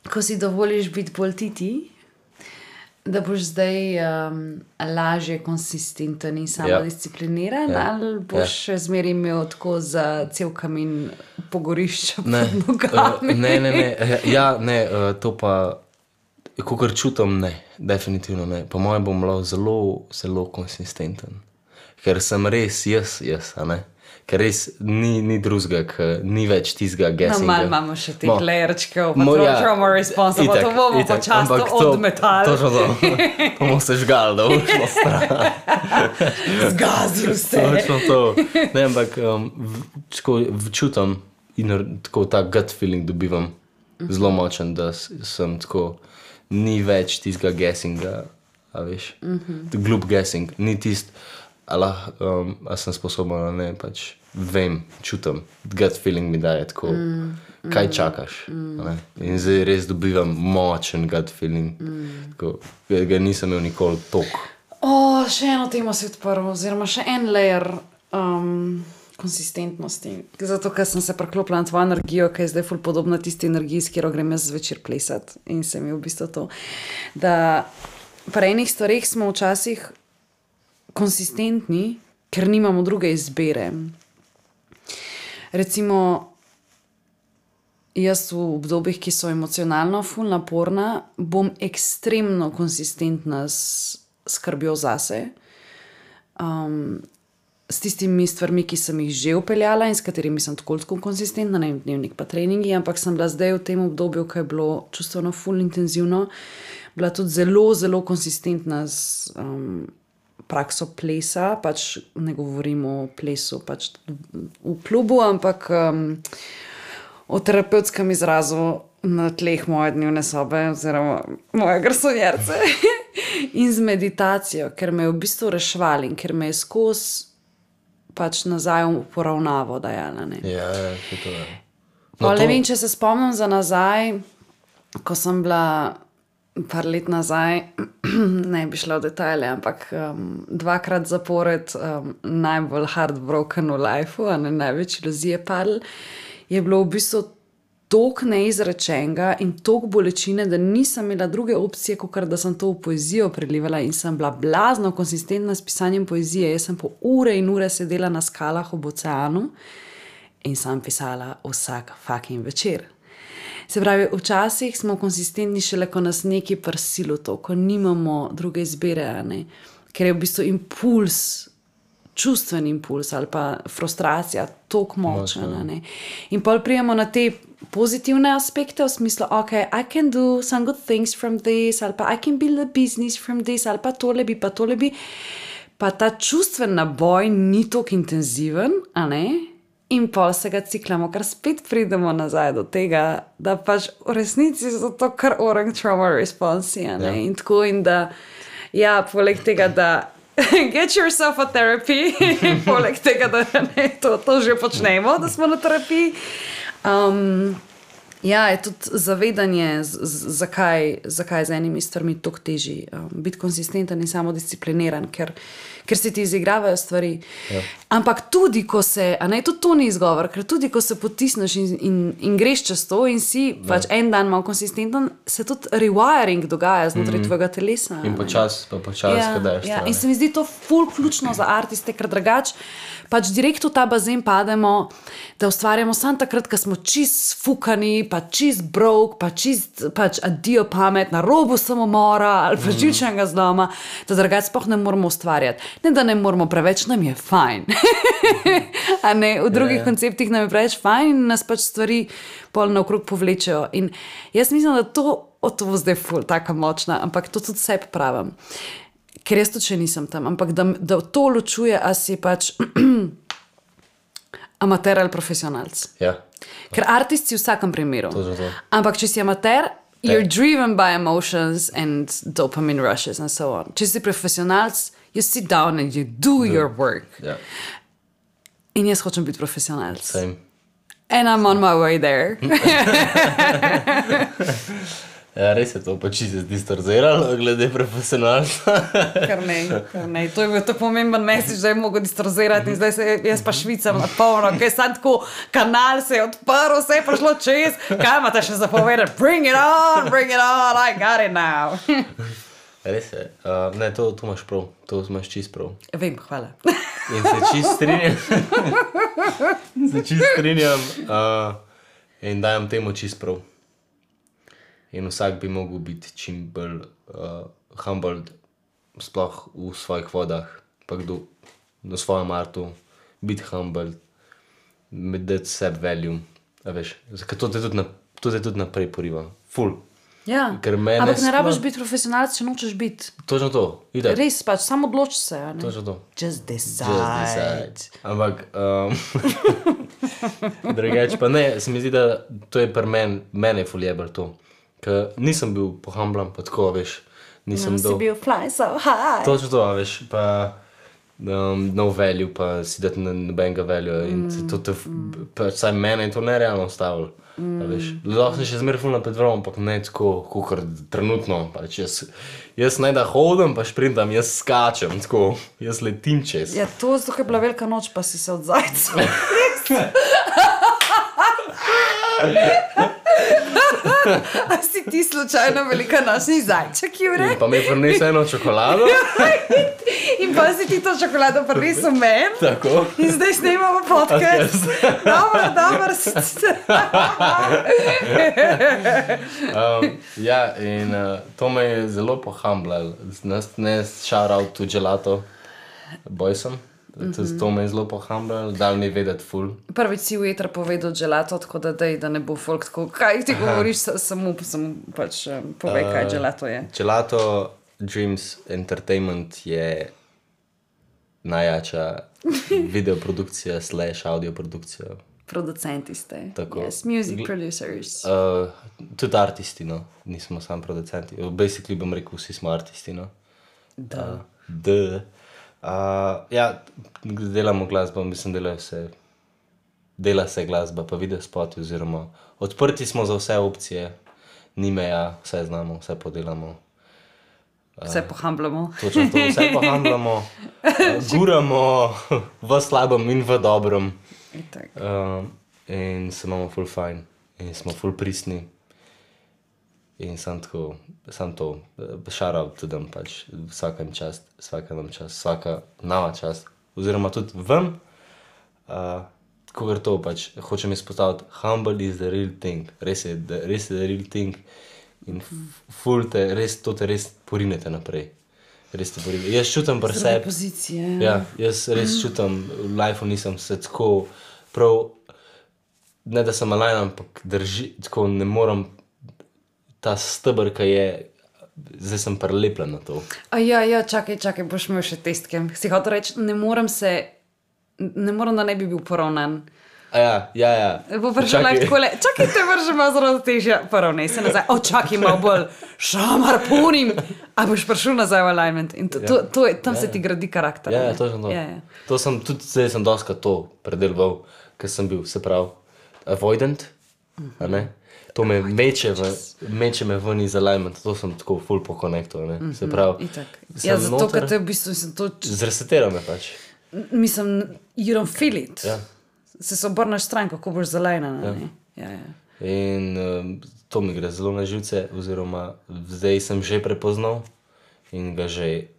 ko si dovoliš biti bolj ti ti, da boš zdaj um, lažje konsistenten in samodiscipliniran, Ja. ali boš Ja. še zmeraj imel tako za cel kamin pogorišča Ne, pod uh, nogami? ne, ne, ne, ja, ne, uh, to pa, kakor čutim, ne, definitivno ne. Po mojem bom lahko zelo, zelo konsistenten, ker sem res jaz, jaz, a ne. Ker res ni, ni drugega, ker ni več tistega No, guessinga. malo imamo še te Mo- lerčkov, pa Mo- to ja, trauma response, pa itak, to bomo itak, počasno ampak to- odmetali. Točno to, to bomo se žgali, da bomo šlo stran. Zgazil se. Točno to. Ne, ampak um, v, tako, v čutim in r- tako ta gut feeling dobivam zelo močen, da s- sem tako, ni več tistega guessinga, a veš, mm-hmm. glup guessing, ni tist, a, um, a sem sposoben ali ne, pač vem, čutim, gut feeling mi daje tako, mm, kaj čakaš. Mm. A ne? In zdaj res dobivam močen gut feeling, mm. tako, ga, ga nisem imel nikoli toliko. O, še eno temo si odprl, oziroma še en layer um, konsistentnosti. Zato, ker sem se preklopila na tvojo energijo, ki je zdaj ful podobna tisti energiji, s katero grem jaz zvečer plesati. In se mi je v bistvu to, da pri enih stvareh smo včasih konsistentni, ker nimamo druge izbire. Recimo, jaz v obdobjih, ki so emocionalno ful naporna, bom ekstremno konsistentna s skrbjo zase. Um, s tistimi stvarmi, ki sem jih že upeljala in s katerimi sem tako tako konsistentna, ne vem, dnevnik pa treningi, ampak sem bila zdaj v tem obdobju, ko je bilo čustveno ful intenzivno, bila tudi zelo, zelo konsistentna z um, prakso plesa, pač ne govorim o plesu pač v klubu, ampak um, o terapevtskem izrazu na tleh moje dnevne sobe oziroma moje garsonjerce in z meditacijo, ker me je v bistvu reševal in ker me je skozi pač nazaj v poravnavo dajala. Ne? Ja, ja, to je. No, to... Ne vem, če se spomnim za nazaj, ko sem bila par let nazaj, ne bi šla v detajle, ampak um, dvakrat zapored um, najbolj heartbroken v lifeu, a ne največ iluzije padl, je bilo v bistvu toliko neizrečenega in toliko bolečine, da nisem imela druge opcije, kot da sem to v poezijo prelivala in sem bila blazno konsistentna s pisanjem poezije. Jaz sem po ure in ure sedela na skalah ob oceanu in sem pisala vsak fucking večer. Se pravi, včasih smo konsistentni šele, ko nas neki prsilo to, ko nimamo druge izbire, ne? Ker je v bistvu impuls, čustven impuls ali pa frustracija toliko močna. Ne? In pol prijemo na te pozitivne aspekte v smislu, ok, I can do some good things from this, ali pa I can build a business from this, ali pa tole bi, pa tole bi. Pa ta čustven naboj ni toliko intenziven, a ne? In pol se ga ciklamo, kar spet pridemo nazaj do tega, da pač v resnici so to kar orang trauma responsi, a ne? Ja. In tako in da, ja, poleg tega, da get yourself a therapy, poleg tega, da ne, to, to že počnemo, da smo na terapiji. Um, ja, je tudi zavedanje, z, z, zakaj, zakaj z enimi stvarmi toliko teži um, biti konsistenten in samodiscipliniran, ker, ker se ti izigravajo stvari. Ja. Ampak tudi, ko se, a ne, tudi to ni izgovor, ker tudi, ko se potisneš in, in, in greš čez to in si ja. pač en dan malo konsistenten, se tudi rewiring dogaja znotraj mm-hmm. tvojega telesa. In počas, pa počas, ja, kdaj ja. In se mi zdi to ful ključno za artiste, ker drugač pač direkt v ta bazen pademo, da ustvarjamo samo takrat, ko smo čist fukani, pa čist broke, pa čist pač adijo pamet, na robu samomora ali pa živčnega zloma, da drugač sploh ne moramo ustvarjati. Ne, da ne moramo preveč, nam je fajn. A ne, v drugih yeah. konceptih nam je preveč fajn in nas pač stvari pol naokrog povlečejo. In jaz mislim, da to, o to bo zdaj ful, taka močna, ampak to tudi sebi pravim. Ker jaz tudi še nisem tam, ampak da, da to ločuje, a si pač amater ali profesionalc. Ja. Ker artist si v vsakem primeru. To to. Ampak če si amater, you're driven by emotions and dopamine rushes and so on. Če si profesionalc, you sit down and you do, do. your work. Ja. In jaz hočem biti profesionalc. Same. And I'm on my way there. Ja, res je to pač se distorziralo glede profesionalstva. Kar ne, kar ne. To je bil to pomemben message, da je mogel distorzirati in zdaj se jaz pa švicam na polno, kaj je sam tako, kanal se je odprl, vse je prišlo čez, kaj imate še zapovedati? Bring it on, bring it on, I got it now. Res je, uh, ne, to, to imaš prav, to imaš čist prav. Vem, hvala. In se čist strinjam, se čist strinjam uh, in dajem temu čist prav. In vsak bi mogel biti čim bolj uh, humbled, sploh v svojih vodah, pa kdo na svojem artu, biti humbled, dati sebi value, a veš, ker to te tudi, na, to te tudi naprej poriva, ful. Ja, ampak ne rabiš biti profesionalc, če nočeš biti. Točno to, ide. Res pač, samo odloči se, a ne? Točno to. Just decide. Just decide. Ampak, um, drugače pa ne, se mi zdi, da to je pri meni, mene je ful jebel to. Ker nisem bil pohamblan, pa tako, veš, nisem no, dol. Si bil fly so high. Točno to, veš, pa um, no value, pa si dati nobenega value in mm, to te, mm. pa saj mene je to nerealno ustavilo, mm, veš. Lahko sem še zmeraj ful napred vrlo, ampak ne tako, kakor trenutno, pač jaz, jaz ne da hodim, pa šprintam, jaz skačem, tako, jaz letim čez. Ja, to zato, ker je bila velika noč, pa si se od zajca. A si ti slučajno velika nočni zajček, Jure? In pa mi je prinesel eno čokolado. In pa si ti to čokolado prinesel meni. Tako. In zdaj snemamo podcast. Dobro, dobro. um, ja, in uh, to me je zelo pohamblal. Ne shout out to Gelato Boysom. Mm-hmm. To me je zelo pohambljalo, dal mi vedeti ful. Prvič si v eter povedal gelato, tako da dej, da ne bo folk tako, kaj ti govoriš, samo, samo pač povej, kaj gelato je. Gelato Dreams Entertainment je najjača videoprodukcija slash audioprodukcija. Producenti ste. Tako. Yes, music producers. Uh, tudi artisti, no. Nismo samo producenti. Basically bom rekel, vsi smo artisti, no. Da. Uh, da. Uh, ja, delamo glasbo, mislim, delajo se, dela se glasba, pa video spoti, oziroma odprti smo za vse opcije, ni meja, vse znamo, vse podelamo. Uh, vse pohambljamo. Točno to, vse pohambljamo, uh, guramo v slabem in v dobrem. Uh, in se imamo ful fajn, in smo ful pristni. In sam tako, sam to, šaral tudi pač, vsaka im čast, vsaka nam čast, vsaka nama čast, oziroma tudi vam, uh, kogar to pač, hočem izpostaviti, humble is the real thing, res je, res je the real thing in ful te, res, to te res porinete naprej, res te porinete. Jaz čutam pri sebi, Zdrave pozicije. Ja, jaz res čutam, v lifeu nisem se tako prav, ne da sem malajn, ampak drži, tako ne moram, ta stebr, ki je, zdaj sem prelepljen na to. A ja, ja, čakaj, čakaj, boš imel še testke. Si hotel reči, ne moram se, ne moram, da ne bi bil poravnan. A ja, ja, ja. Bo prišel live takole, čakaj, te vrže malo zelo težje, poravnej se nazaj, o, čakaj, malo bolj šamar punim, a boš prišel nazaj v alignment. In to, to, to je, tam ja, se ti gradi karakter. Ja, ja, točno to. Ja, ja. To sem, tudi zdaj sem doskrat to predeloval, ker sem bil, se pravi, avoidant, a ne? To me meče, v, meče me ven iz alignment, to sem tako full po konektu, ne, mm-hmm, se pravi. Ja, zato, ker te v bistvu sem to... Zresetira me pač. Mislim, you don't feel it. Ja. Se se obrneš stran, kako boš zalajnana, ja. ne. Ja, ja. In um, to mi gre zelo na živce, oziroma zdaj sem že prepoznal in ga že,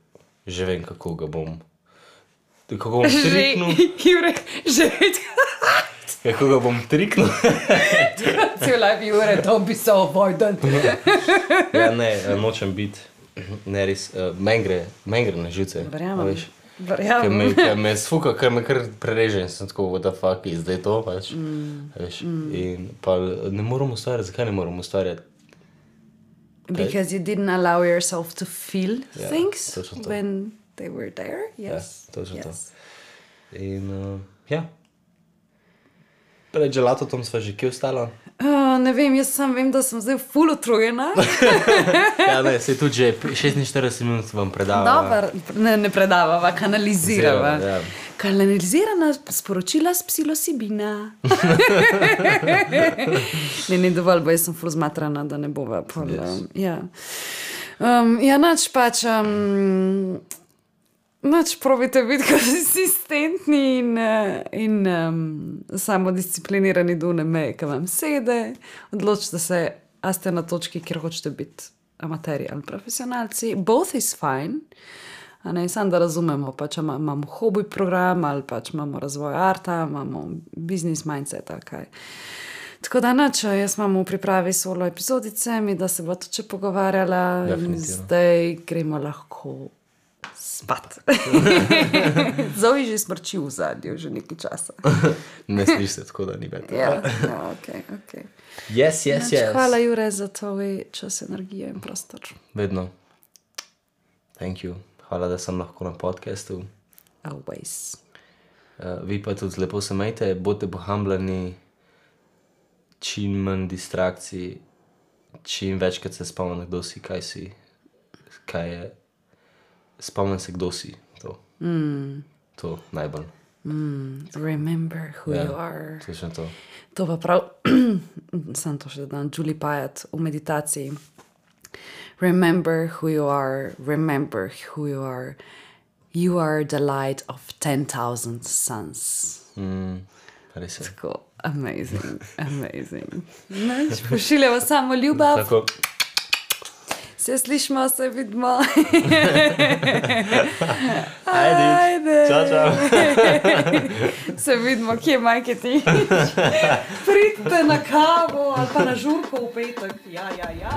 že vem, kako ga bom, kako bom triknul. Jure, že vem, kako ga bom triknul. Cel life, Jure, don't be so avoidant. Ja, ne, nočem biti, ne res, uh, men gre, men gre na živce. Verjamem, Ker me, verjamem. ker me sfuka, ker me kar prereže in sem tako, what the fuck is zdaj to, pač. Mm. Veš, in pa ne moram ustvarjati, zakaj ne moram ustvarjati? Because you didn't allow yourself to feel Ja, things točno to. when they were there. Yes. Ja, točno to. Yes. In, uh, ja. Pred gelatom sva že kje ostala? Uh, ne vem, jaz sam vem, da sem zdaj ful utrujena. Ja, ne, se tudi že šestinštirideset minut vam predava. Dobar, ne, ne predavava, kanalizirava. Ja. Kanalizirana sporočila s psilocibina. ne, ne dovolj, bo jaz sem ful zmatrana, da ne bova. Pol, Yes. um, ja, um, ja, nač pač... Um, Nač probite biti konsistentni in, in um, samodisciplinirani do ne meje, ki vam sede. Odločite se, a ste na točki, kjer hočete biti amaterji ali profesionalci. Both is fine. A ne, samo da razumemo, pač imamo hobi program ali pač imamo razvoj arta, imamo business mindset ali kaj. Tako da nač, jaz imam v pripravi solo epizodice, mi da se bo to če pogovarjala. In zdaj gremo lahko spat. Zoe že smrči v zadnju, že nekaj časa. Ne sliš se tako, da ni več. Ja, ja, ok, ok. Yes, yes, yes. Hvala, Jure, za tvoj čas, energijo in prostor. Vedno. Thank you. Hvala, da sem lahko na podcastu. Always. Uh, vi pa tudi lepo se majte, bodite pohambljeni, čim manj distrakcij, čim večkrat se spomnim, kdo si, kaj si, kaj je. Spomnim se, kdo si. To, Mm. to najbolj. Mm. Remember who Ja, you are. točno to. To pa prav, sam to še dan, Julie Payat v meditaciji. Remember who you are, remember who you are. You are the light of ten thousand suns. Mm, res je. Tako, amazing, amazing. Nač, pošiljamo samo ljubav. Tako. Se slišimo, se vidimo. Ajde. Ajde. Čau, čau. Se vidimo, kje je Majketič. Pridite na kavo ali pa na žurko v petek. Ja, ja, ja.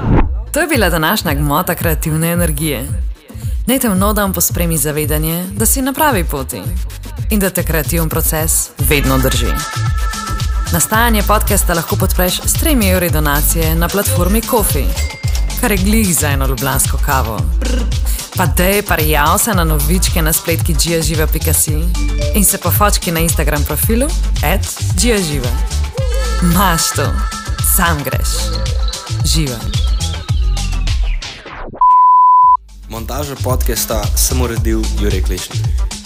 To je bila današnja gmota kreativne energije. Naj te v nov dan pospremi zavedanje, da si na pravi poti. in da te kreativni proces vedno drži. Nastajanje podcasta lahko podpreš s tremi evri donacije na platformi Ko-fi, kar je glih za eno ljubljansko kavo. Pa dej, parjav se na novičke na spletki giaživa pika si in se pofočki na Instagram profilu at giaživa. Maš to, sam greš. Živa. Montažo podcasta sem uredil Jurek Lešnik.